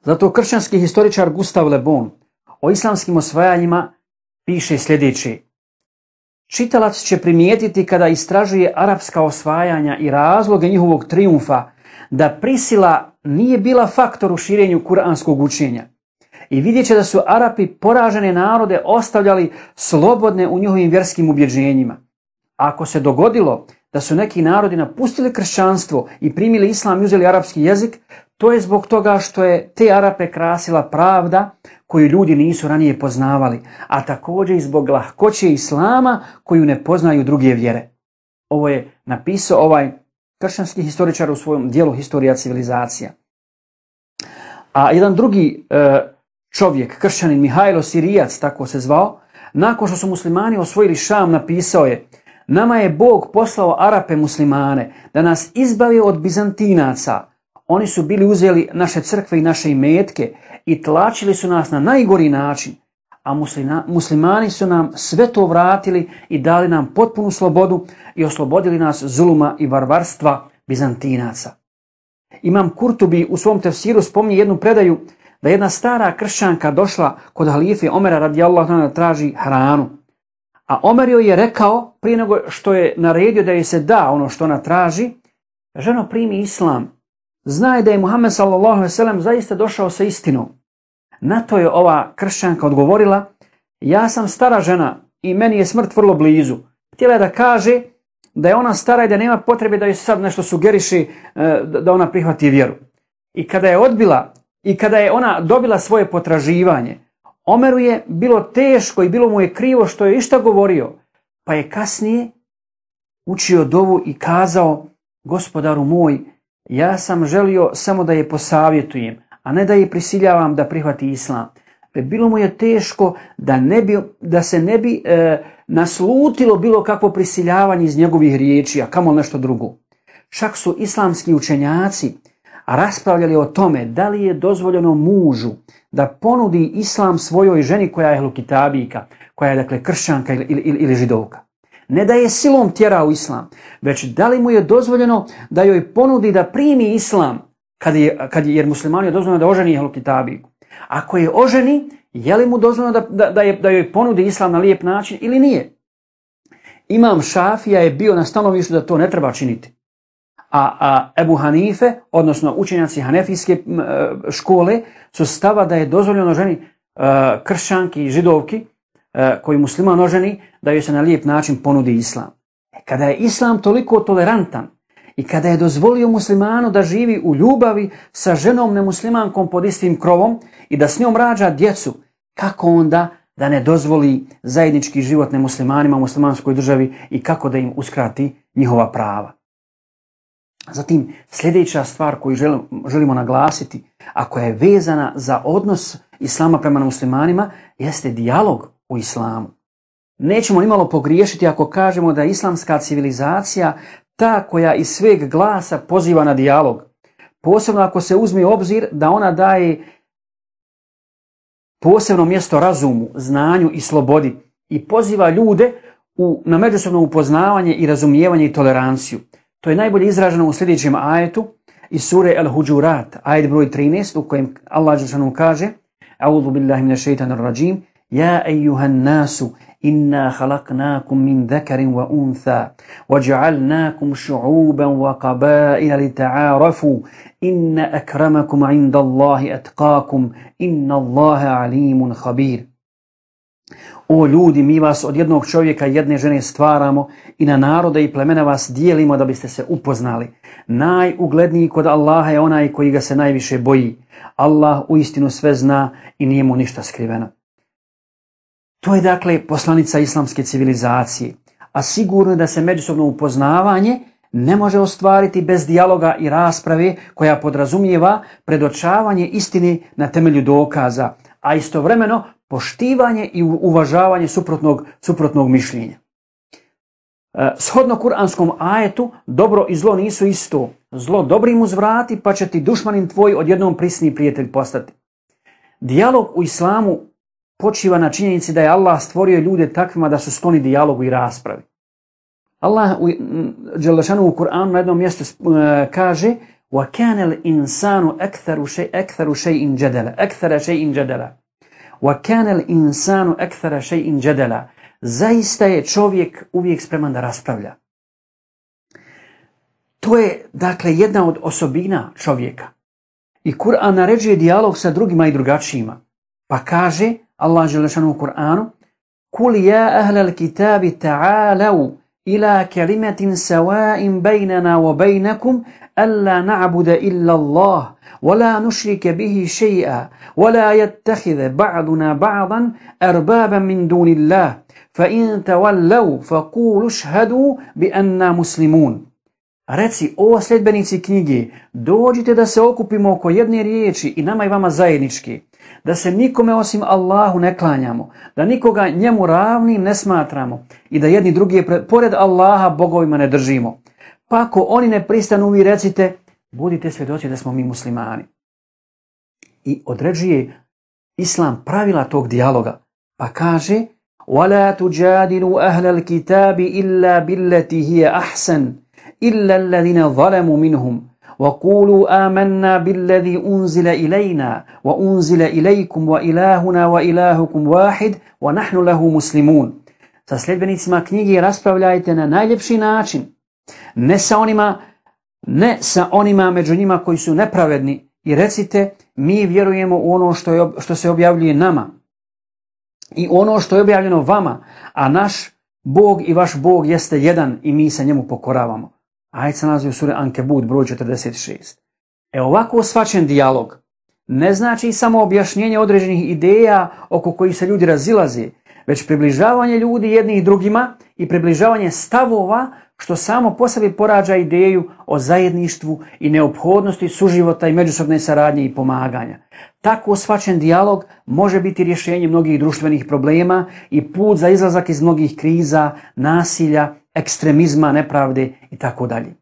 S1: Zato kršćanski historičar Gustav Le Bon o islamskim osvajanjima piše sljedeće: čitalac će primijetiti kada istražuje arapska osvajanja i razloge njihovog trijumfa da prisila nije bila faktor u širenju kuranskog učenja. I vidjet će da su Arapi poražene narode ostavljali slobodne u njihovim vjerskim ubjeđenjima. A ako se dogodilo da su neki narodi napustili kršćanstvo i primili islam i uzeli arapski jezik, to je zbog toga što je te Arape krasila pravda koju ljudi nisu ranije poznavali, a također i zbog lahkoće islama koju ne poznaju druge vjere. Ovo je napisao ovaj kršćanski historičar u svojom dijelu Historija civilizacija. A jedan drugi e, čovjek, kršćanin Mihajlo Sirijac, tako se zvao, nakon što su muslimani osvojili Šam, napisao je: nama je Bog poslao Arape muslimane da nas izbavi od Bizantinaca. Oni su bili uzeli naše crkve i naše imetke i tlačili su nas na najgori način, a muslima, muslimani su nam sve to vratili i dali nam potpunu slobodu i oslobodili nas zuluma i varvarstva Bizantinaca. Imam Kurtubi u svom tefsiru spominje jednu predaju da jedna stara kršćanka došla kod halife Omera radijallahu anhu da traži hranu. A Omer joj je rekao, prije nego što je naredio da joj se da ono što ona traži, ženo, primi islam. Znaj da je Muhammed sallallahu alejhi ve sellem zaista došao sa istinom. Na to je ova kršćanka odgovorila, ja sam stara žena i meni je smrt vrlo blizu. Htjela je da kaže da je ona stara i da nema potrebe da joj sad nešto sugeriši da ona prihvati vjeru. I kada je odbila i kada je ona dobila svoje potraživanje, Omeru je bilo teško i bilo mu je krivo što je išta govorio, pa je kasnije učio dovu i kazao, gospodaru moj, ja sam želio samo da je posavjetujem, a ne da je prisiljavam da prihvati islam. Bilo mu je teško da, ne bi, da se ne bi e, naslutilo bilo kakvo prisiljavanje iz njegovih riječi, a kamo nešto drugo. Čak su islamski učenjaci raspravljali o tome da li je dozvoljeno mužu da ponudi islam svojoj ženi koja je ehlukitabijka, koja je dakle kršćanka ili, ili, ili židovka. Ne da je silom tjera u islam, već da li mu je dozvoljeno da joj ponudi da primi islam, kad je, kad je, jer muslimanu je dozvoljeno da oženi ehlukitabijku. Ako je oženi, je li mu dozvoljeno da, da, da, je, da joj ponudi islam na lijep način ili nije? Imam Šafija je bio na stanovištu da to ne treba činiti. A, a Ebu Hanife, odnosno učenjaci hanefijske škole, su stava da je dozvoljeno ženi uh, kršćanki i židovki uh, koji musliman oženi, da joj se na lijep način ponudi islam. Kada je islam toliko tolerantan i kada je dozvolio muslimanu da živi u ljubavi sa ženom nemuslimankom pod istim krovom i da s njom rađa djecu, kako onda da ne dozvoli zajednički život nemuslimanima u muslimanskoj državi i kako da im uskrati njihova prava? Zatim, sljedeća stvar koju želimo naglasiti, a koja je vezana za odnos islama prema muslimanima, jeste dijalog u islamu. Nećemo nimalo pogriješiti ako kažemo da je islamska civilizacija ta koja iz sveg glasa poziva na dijalog. Posebno ako se uzme u obzir da ona daje posebno mjesto razumu, znanju i slobodi i poziva ljude u, na međusobno upoznavanje i razumijevanje i toleranciju. To je najbolje izraženo u sljedećem ajetu iz sure Al-Huđurat, ajet broj trinaest, u kojem Allah dželle kaže: A'udhu billahi minash shaitanir rajim, ja ejuhan nasu inna khalaqnakum min dhakarin wa untha waja'alnakum shu'uban wa qaba'ila lita'arafu inna akramakum 'inda Allahi atqakum inna Allaha 'alimun khabir. O ljudi, mi vas od jednog čovjeka i jedne žene stvaramo i na narode i plemena vas dijelimo da biste se upoznali. Najugledniji kod Allaha je onaj koji ga se najviše boji. Allah uistinu sve zna i nije mu ništa skriveno. To je dakle poslanica islamske civilizacije, a sigurno je da se međusobno upoznavanje ne može ostvariti bez dijaloga i rasprave koja podrazumijeva predočavanje istine na temelju dokaza, a istovremeno poštivanje i uvažavanje suprotnog, suprotnog mišljenja. E, shodno kuranskom ajetu, dobro i zlo nisu isto. Zlo dobrim uzvrati, pa će ti dušmanin tvoj odjednom prisni prijatelj postati. Dijalog u islamu počiva na činjenici da je Allah stvorio ljude takvima da su skloni dijalogu i raspravi. Allah u, Đelešanu u Kur'anu na jednom mjestu uh, kaže: وَكَانَ الْإِنسَانُ أَكْثَرُ شَيْءٍ جَدَلًا أَكْثَرَ شَيْءٍ جَدَلًا وَكَانَ الْإِنسَانُ أَكْثَرَ شَيْءٍ جَدَلًا. Zaista je čovjek uvijek spreman da raspravlja. To je dakle jedna od osobina čovjeka. I Kur'an naređuje dijalog sa drugima i drugačijima. Pa kaže Allah Đelešanu u Kur'anu: قُلْ يَا أَهْلَ الْكِتَابِ تَعَالَوْا إِلَى كَلِمَةٍ سَوَاءٍ بَيْنَنَا وَبَيْنَكُمْ أَلَّا نَعْبُدَ إِلَّا اللَّهَ وَلَا نُشْرِكَ بِهِ شَيْئًا وَلَا يَتَّخِذَ بَعْضُنَا بَعْضًا أَرْبَابًا مِنْ دُونِ اللَّهِ فَإِنْ تَوَلَّوْا فَقُولُوا اشْهَدُوا بِأَنَّا مُسْلِمُونَ. Reci, o sljedbenici knjige, dođite da se okupimo oko jedne riječi i nama i vama zajednički, da se nikome osim Allahu ne klanjamo, da nikoga njemu ravnim ne smatramo i da jedni drugi pored Allaha bogovima ne držimo. Pa ako oni ne pristanu, vi recite, budite svjedoci da smo mi muslimani. I određuje Islam pravila tog dijaloga, pa kaže: وَلَا تُجَادِلُوا أَهْلَ الْكِتَابِ إِلَّا بِالَّتِي هِيَ أَحْسَنُ إِلَّا الَّذِينَ ظَلَمُوا مِنْهُمْ وَقُولُوا آمَنَّا بِالَّذِي أُنزِلَ إِلَيْنَا وَأُنزِلَ إِلَيْكُمْ وَإِلَاهُنَا وَإِلَاهُكُمْ وَاحِدٌ وَنَحْنُ لَهُ مُسْلِمُونَ. Sa sljedbenicima knjige raspravljajte na najljepši način, ne sa onima, ne sa onima među njima koji su nepravedni, i recite mi vjerujemo u ono što, je, što se objavljuje nama i ono što je objavljeno vama, a naš Bog i vaš Bog jeste jedan i mi se njemu pokoravamo. Ajet se nalazi u suri Ankebut broj četrdeset šest. E ovako shvaćen dijalog ne znači samo objašnjenje određenih ideja oko kojih se ljudi razilaze, već približavanje ljudi jednih drugima i približavanje stavova, što samo po sebi porađa ideju o zajedništvu i neophodnosti suživota i međusobne saradnje i pomaganja. Tako shvaćen dijalog može biti rješenje mnogih društvenih problema i put za izlazak iz mnogih kriza, nasilja, ekstremizma, nepravde i tako dalje.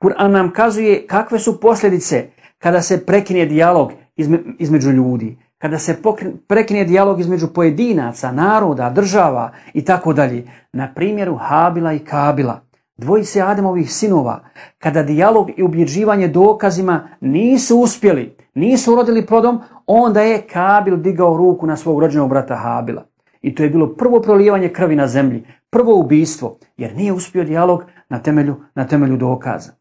S1: Kur'an nam kazuje kakve su posljedice kada se prekine dijalog između ljudi, kada se prekine dijalog između pojedinaca, naroda, država i tako dalje. Na primjeru Habila i Kabila, dvojice Ademovih sinova, kada dijalog i ubjeđivanje dokazima nisu uspjeli, nisu urodili plodom, onda je Kabil digao ruku na svog rođenog brata Habila. I to je bilo prvo prolijevanje krvi na zemlji, prvo ubijstvo, jer nije uspio dijalog na temelju, na temelju dokaza.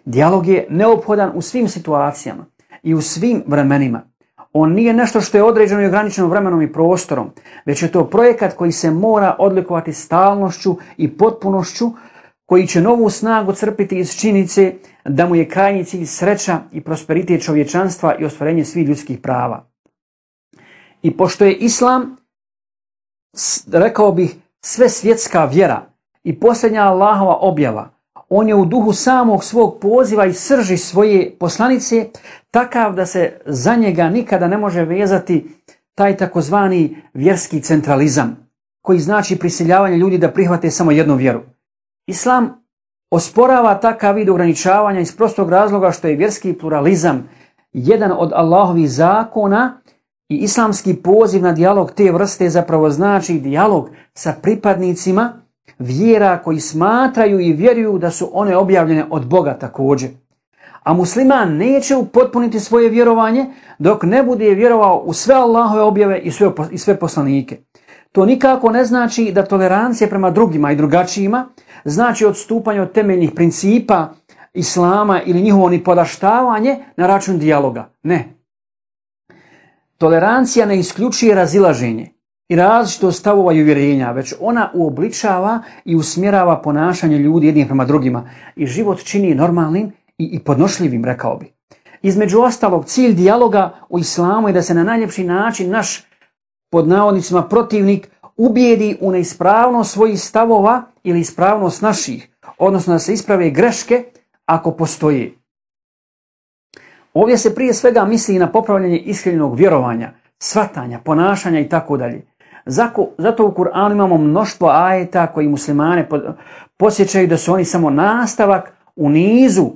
S1: Dijalog je neophodan u svim situacijama i u svim vremenima. On nije nešto što je određeno i ograničeno vremenom i prostorom, već je to projekat koji se mora odlikovati stalnošću i potpunošću, koji će novu snagu crpiti iz činjenice da mu je krajnji cilj sreća i prosperitet čovječanstva i ostvarenje svih ljudskih prava. I pošto je Islam, rekao bih, sve svjetska vjera i posljednja Allahova objava, on je u duhu samog svog poziva i srži svoje poslanice takav da se za njega nikada ne može vezati taj takozvani vjerski centralizam, koji znači prisiljavanje ljudi da prihvate samo jednu vjeru. Islam osporava takav vid ograničavanja iz prostog razloga što je vjerski pluralizam jedan od Allahovih zakona i islamski poziv na dijalog te vrste zapravo znači dijalog sa pripadnicima vjera koji smatraju i vjeruju da su one objavljene od Boga također. A musliman neće upotpuniti svoje vjerovanje dok ne bude vjerovao u sve Allahove objave i sve, i sve poslanike. To nikako ne znači da tolerancija prema drugima i drugačijima znači odstupanje od temeljnih principa Islama ili njihovo nipodaštavanje na račun dijaloga. Ne. Tolerancija ne isključuje razilaženje i različitost stavova i uvjerenja, već ona uobličava i usmjerava ponašanje ljudi jednih prema drugima i život čini normalnim i, i podnošljivim, rekao bi. Između ostalog, cilj dijaloga u islamu je da se na najljepši način naš, pod navodnicima, protivnik ubijedi u neispravnost svojih stavova ili ispravnost naših, odnosno da se isprave greške ako postoje. Ovdje se prije svega misli na popravljanje iskrenog vjerovanja, shvatanja, ponašanja i tako dalje. Zato u Kur'anu imamo mnoštvo ajeta koji muslimane podsjećaju da su oni samo nastavak u nizu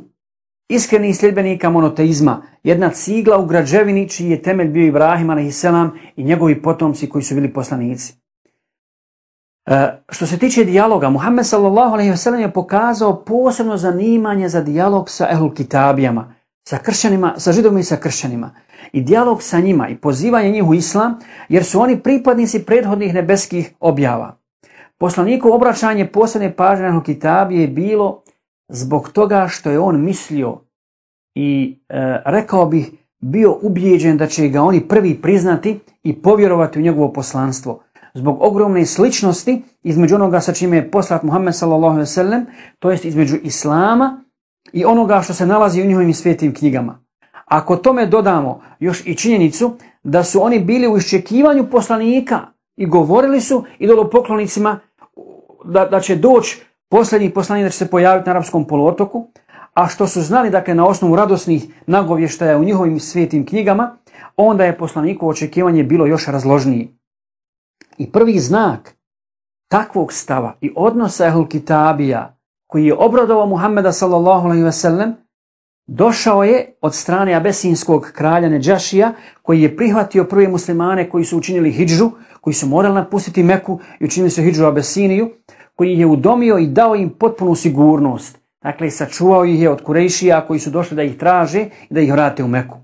S1: iskrenih sljedbenika monoteizma, jedna cigla u građevini čiji je temelj bio Ibrahim alejhi i njegovi potomci koji su bili poslanici. E, što se tiče dijaloga, Muhammed sallallahu alejhi ve sellem je pokazao posebno zanimanje za dijalog sa ehlul kitabijama, sa kršćanima, sa židovima i sa kršćanima. I dijalog sa njima i pozivanje njih u islam, jer su oni pripadnici prethodnih nebeskih objava. Poslaniku obraćanje posebne pažnje na kitabije je bilo zbog toga što je on mislio i e, rekao bih bio ubijeđen da će ga oni prvi priznati i povjerovati u njegovo poslanstvo. Zbog ogromne sličnosti između onoga sa čime je poslat Muhammed sallallahu alejhi ve sellem, to jest između islama i onoga što se nalazi u njihovim svetim knjigama. Ako tome dodamo još i činjenicu da su oni bili u iščekivanju poslanika i govorili su idolopoklonicima da, da će doći posljednji poslanik, da će se pojaviti na arapskom poluotoku, a što su znali, dakle, na osnovu radosnih nagovještaja u njihovim svetim knjigama, onda je poslanikovo očekivanje bilo još razložnije. I prvi znak takvog stava i odnosa ehlul kitabija koji je obradovao Muhammeda sallallahu alejhi ve sellem došao je od strane abesinskog kralja Nedžašija, koji je prihvatio prve muslimane koji su učinili hidžu, koji su morali napustiti Meku i učinili su hidžu u Abesiniju, koji je udomio i dao im potpunu sigurnost, Dakle, sačuvao ih je od Kurejšija koji su došli da ih traže i da ih vrate u Meku.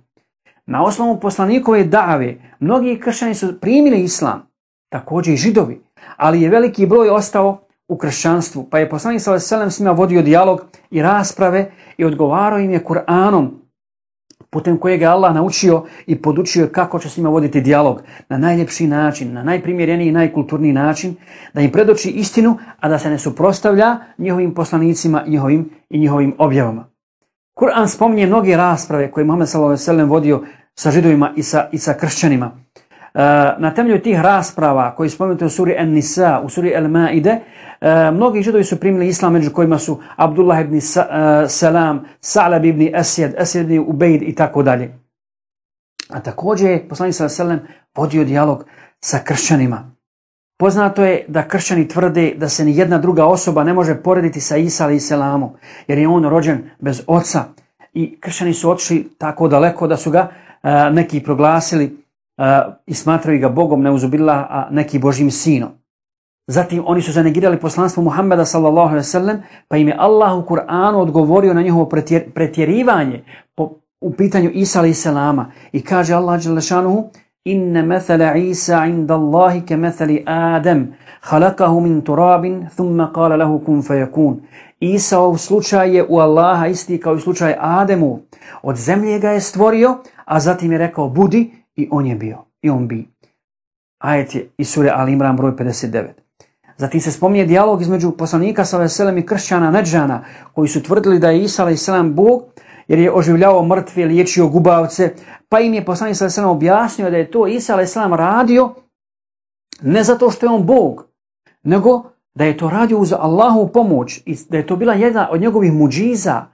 S1: Na osnovu poslanikove dave, mnogi kršćani su primili islam, također i židovi, ali je veliki broj ostao u kršćanstvu, pa je poslanik sallallahu alejhi ve sellem s njima vodio dijalog i rasprave i odgovarao im je Kur'anom, putem kojeg je Allah naučio i podučio kako će s njima voditi dijalog na najljepši način, na najprimjereniji i najkulturniji način, da im predoči istinu, a da se ne suprotstavlja njihovim poslanicima i njihovim, i njihovim objavama. Kur'an spominje mnoge rasprave koje je Muhammed sallallahu alejhi ve sellem vodio sa židovima i sa, i sa kršćanima. Na temelju tih rasprava koji spomenuti u suri An-Nisa, u suri Al-Maide, mnogi židovi su primili islam, među kojima su Abdullah ibn Salam, Sa'lab ibn Asjad, Asjad ibn Ubejd i tako dalje. A također je poslanik sallallahu alejhi ve sellem vodio dijalog sa kršćanima. Poznato je da kršćani tvrde da se ni jedna druga osoba ne može porediti sa Isa alejhi selamom, jer je on rođen bez oca. I kršćani su otišli tako daleko da su ga uh, neki proglasili uh, i smatraju ga Bogom, neuzubillah, a neki Božjim sinom. Zatim oni su zanegirali poslanstvo Muhammeda sallallahu alejhi ve sellem, pa im je Allah u Kur'anu odgovorio na njihovo pretjer, pretjerivanje po, u pitanju Isa alejhi selama. I kaže Allah dželle šanuhu: Inne methala Isa inda Allahi ke methali Adem, halakahu min turabin, thumma kala lahu kun fayakun. Isaov slučaj je u Allaha isti kao i slučaj Ademu. Od zemlje ga je stvorio, a zatim je rekao budi i on je bio. I on bi. Ajet je iz sure Al Imran broj pedeset devet. Zatim se spominje dijalog između poslanika sallallahu alejhi ve sellem i kršćana Nedžana, koji su tvrdili da je Isa alejhi selam Bog, jer je oživljavao mrtve, liječio gubavce, pa im je poslanik sallallahu alejhi ve sellem objasnio da je to Isa alejhi selam radio ne zato što je on Bog, nego da je to radio uz Allahovu pomoć i da je to bila jedna od njegovih muđiza,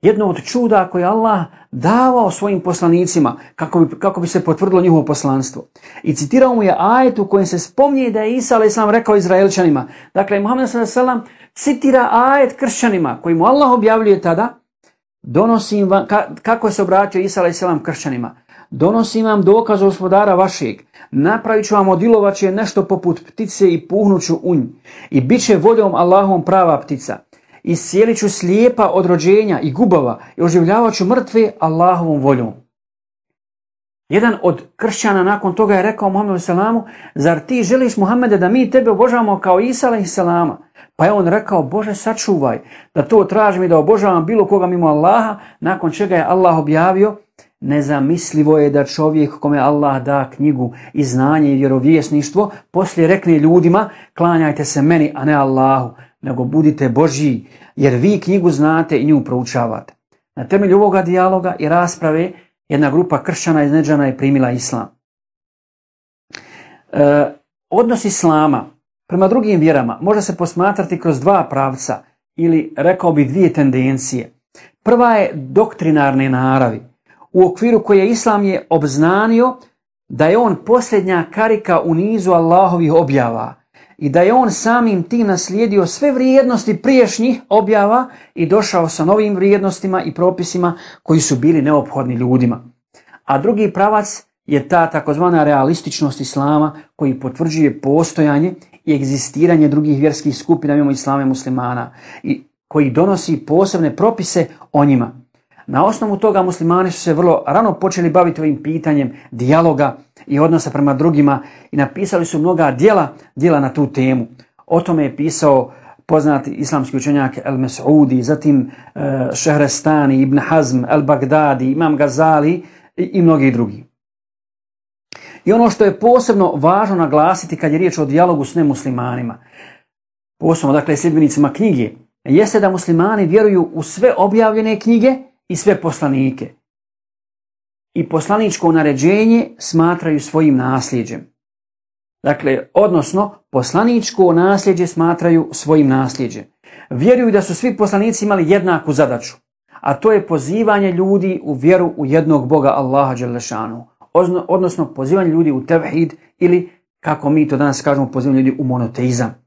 S1: jedno od čuda koje Allah davao svojim poslanicima kako bi, kako bi se potvrdilo njihovo poslanstvo. I citirao mu je ajet u kojem se spominje da je Isa alejhi selam rekao Izraelčanima. Dakle, Muhammed sallallahu alejhi ve sellem citira ajet kršćanima koji mu Allah objavljuje tada: donosim vam, ka, kako je se obratio Isa alejhi selam kršćanima: donosim vam dokaz gospodara vašeg, napravit ću vam od ilovače nešto poput ptice i puhnuću u nj, i bit će voljom Allahom prava ptica. Iscijelit ću slijepa od rođenja i gubava i oživljavat ću mrtve Allahovom voljom. Jedan od kršćana nakon toga je rekao Muhammedu selamu: zar ti želiš, Muhammede, da mi tebe obožavamo kao Isa alejhi selama? Pa je on rekao: Bože, sačuvaj da to tražim i da obožavam bilo koga mimo Allaha, nakon čega je Allah objavio: nezamislivo je da čovjek kome Allah da knjigu i znanje i vjerovjesništvo poslije rekne ljudima: klanjajte se meni, a ne Allahu, nego budite Božji, jer vi knjigu znate i nju proučavate. Na temelju ovoga dijaloga i rasprave jedna grupa kršćana iz Nedžana je primila islam. E, odnos islama prema drugim vjerama može se posmatrati kroz dva pravca ili, rekao bi, dvije tendencije. Prva je doktrinarne naravi, u okviru koje islam je obznanio da je on posljednja karika u nizu Allahovih objava i da je on samim tim naslijedio sve vrijednosti priješnjih objava i došao sa novim vrijednostima i propisima koji su bili neophodni ljudima. A drugi pravac je ta takozvana realističnost islama koji potvrđuje postojanje i egzistiranje drugih vjerskih skupina mimo islama i muslimana i koji donosi posebne propise o njima. Na osnovu toga muslimani su se vrlo rano počeli baviti ovim pitanjem dijaloga i odnosa prema drugima i napisali su mnoga djela, djela na tu temu. O tome je pisao poznati islamski učenjak El-Mes'udi, zatim uh, Šehrestani, Ibn Hazm, El-Bagdadi, Imam Gazali i, i mnogi drugi. I ono što je posebno važno naglasiti kad je riječ o dijalogu s nemuslimanima, posebno dakle sljedbenicima knjige, jeste da muslimani vjeruju u sve objavljene knjige i sve poslanike. I poslaničko naređenje smatraju svojim nasljeđem. Dakle, odnosno, poslaničko nasljeđe smatraju svojim nasljeđem. Vjeruju da su svi poslanici imali jednaku zadaću, a to je pozivanje ljudi u vjeru u jednog Boga Allaha dželle šanuhu, odnosno pozivanje ljudi u tevhid ili, kako mi to danas kažemo, pozivanje ljudi u monoteizam.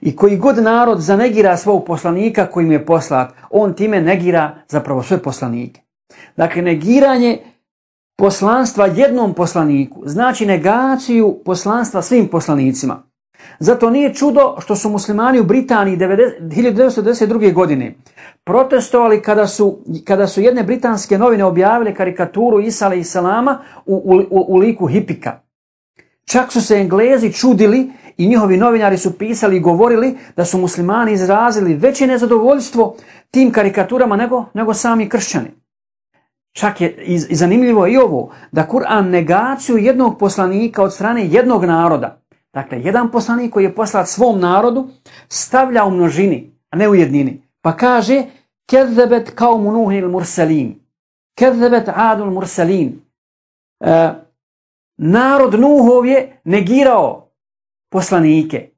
S1: I koji god narod zanegira svog poslanika koji mu je poslat, on time negira zapravo sve poslanike. Dakle, negiranje poslanstva jednom poslaniku znači negaciju poslanstva svim poslanicima. Zato nije čudo što su muslimani u Britaniji hiljadu devetsto devedeset druge. godine protestovali kada su, kada su jedne britanske novine objavile karikaturu Isa alejhi selama u, u, u liku hipika. Čak su se Englezi čudili i njihovi novinari su pisali i govorili da su muslimani izrazili veće nezadovoljstvo tim karikaturama nego, nego sami kršćani. Čak je i, i zanimljivo i ovo, da Kur'an negaciju jednog poslanika od strane jednog naroda, dakle jedan poslanik koji je poslat svom narodu, stavlja u množini, a ne u jednini. Pa kaže, kezzebet kaumu Nuhil mursalin, kezzebet adul mursalin. E, narod Nuhov je negirao poslanike.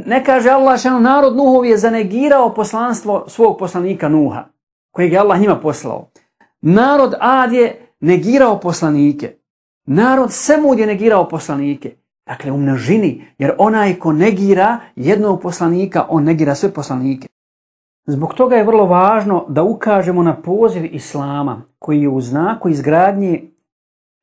S1: Ne kaže Allah šano, narod Nuhov je zanegirao poslanstvo svog poslanika Nuha, kojeg je Allah njima poslao. Narod Ad je negirao poslanike. Narod Semud je negirao poslanike. Dakle, u množini, jer onaj ko negira jednog poslanika, on negira sve poslanike. Zbog toga je vrlo važno da ukažemo na poziv Islama, koji je u znaku izgradnje,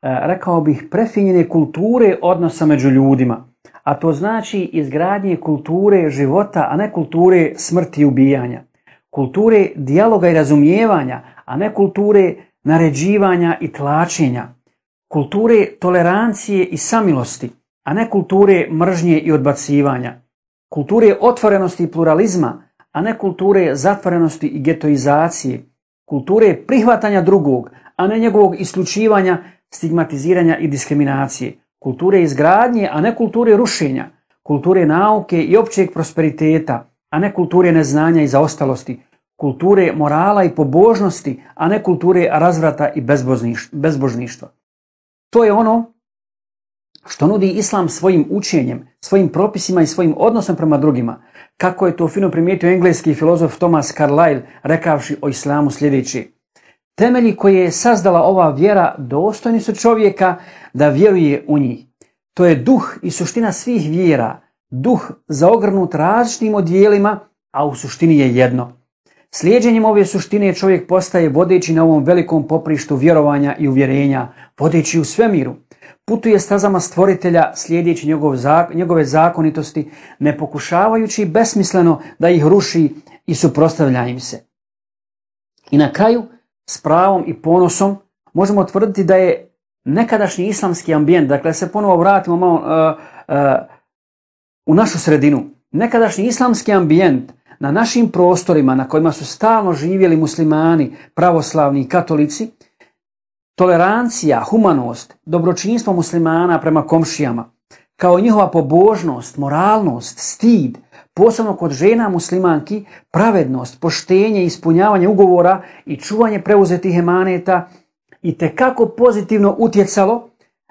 S1: rekao bih, prefinjene kulture odnosa među ljudima. A to znači izgradnje kulture života, a ne kulture smrti i ubijanja. Kulture dijaloga i razumijevanja, a ne kulture naređivanja i tlačenja. Kulture tolerancije i samilosti, a ne kulture mržnje i odbacivanja. Kulture otvorenosti i pluralizma, a ne kulture zatvorenosti i getoizacije. Kulture prihvatanja drugog, a ne njegovog isključivanja, stigmatiziranja i diskriminacije. Kulture izgradnje, a ne kulture rušenja. Kulture nauke i općeg prosperiteta, a ne kulture neznanja i zaostalosti. Kulture morala i pobožnosti, a ne kulture razvrata i bezbožništva. To je ono što nudi Islam svojim učenjem, svojim propisima i svojim odnosom prema drugima. Kako je to fino primijetio engleski filozof Thomas Carlyle, rekavši o Islamu sljedeće. Temelji koje je sazdala ova vjera dostojni su čovjeka da vjeruje u njih. To je duh i suština svih vjera, duh zaogrnut različitim odjelima, a u suštini je jedno. Slijeđenjem ove suštine čovjek postaje vodeći na ovom velikom poprištu vjerovanja i uvjerenja, vodeći u svemiru. Putuje stazama stvoritelja slijedeći njegov, njegove zakonitosti, ne pokušavajući besmisleno da ih ruši i suprotstavlja im se. I na kraju, s pravom i ponosom, možemo tvrditi da je nekadašnji islamski ambijent, dakle se ponovo vratimo malo uh, uh, u našu sredinu, nekadašnji islamski ambijent na našim prostorima na kojima su stalno živjeli muslimani, pravoslavni i katolici, tolerancija, humanost, dobročinstvo muslimana prema komšijama, kao i njihova pobožnost, moralnost, stid, posebno kod žena muslimanki, pravednost, poštenje, ispunjavanje ugovora i čuvanje preuzetih emaneta itekako pozitivno utjecalo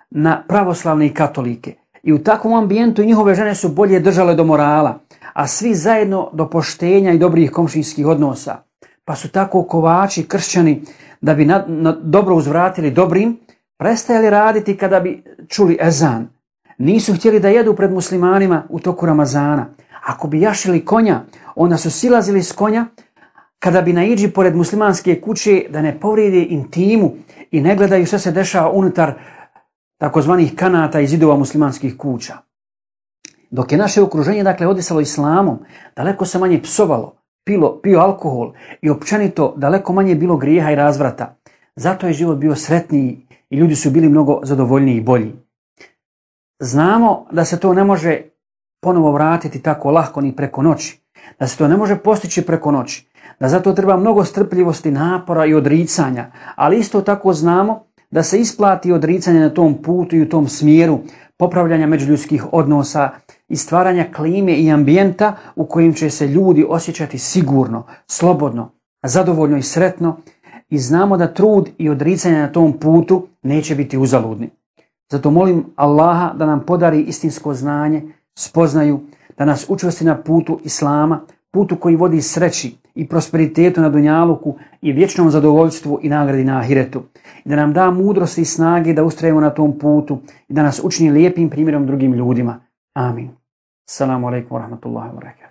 S1: na pravoslavne i katolike. I u takvom ambijentu njihove žene su bolje držale do morala, a svi zajedno do poštenja i dobrih komšijskih odnosa. Pa su tako kovači, kršćani, da bi na, na dobro uzvratili dobrim, prestajali raditi kada bi čuli ezan. Nisu htjeli da jedu pred muslimanima u toku Ramazana. Ako bi jašili konja, onda su silazili s konja kada bi naiđi pored muslimanske kuće da ne povrijede intimu i ne gledaju što se dešava unutar takozvanih kanata i zidova muslimanskih kuća. Dok je naše okruženje dakle odisalo islamom, daleko se manje psovalo, pilo, pio alkohol i općenito daleko manje bilo grijeha i razvrata. Zato je život bio sretniji i ljudi su bili mnogo zadovoljniji i bolji. Znamo da se to ne može ponovo vratiti tako lahko ni preko noći, da se to ne može postići preko noći, da zato treba mnogo strpljivosti, napora i odricanja, ali isto tako znamo da se isplati odricanje na tom putu i u tom smjeru popravljanja međuljudskih odnosa i stvaranja klime i ambijenta u kojim će se ljudi osjećati sigurno, slobodno, zadovoljno i sretno, i znamo da trud i odricanje na tom putu neće biti uzaludni. Zato molim Allaha da nam podari istinsko znanje, spoznaju, da nas učvrsti na putu Islama, putu koji vodi sreći i prosperitetu na dunjaluku i vječnom zadovoljstvu i nagradi na ahiretu. I da nam da mudrosti i snage da ustrajemo na tom putu i da nas učini lijepim primjerom drugim ljudima. Amin. Assalamu alaikum wa rahmatullahi wa barakatuh.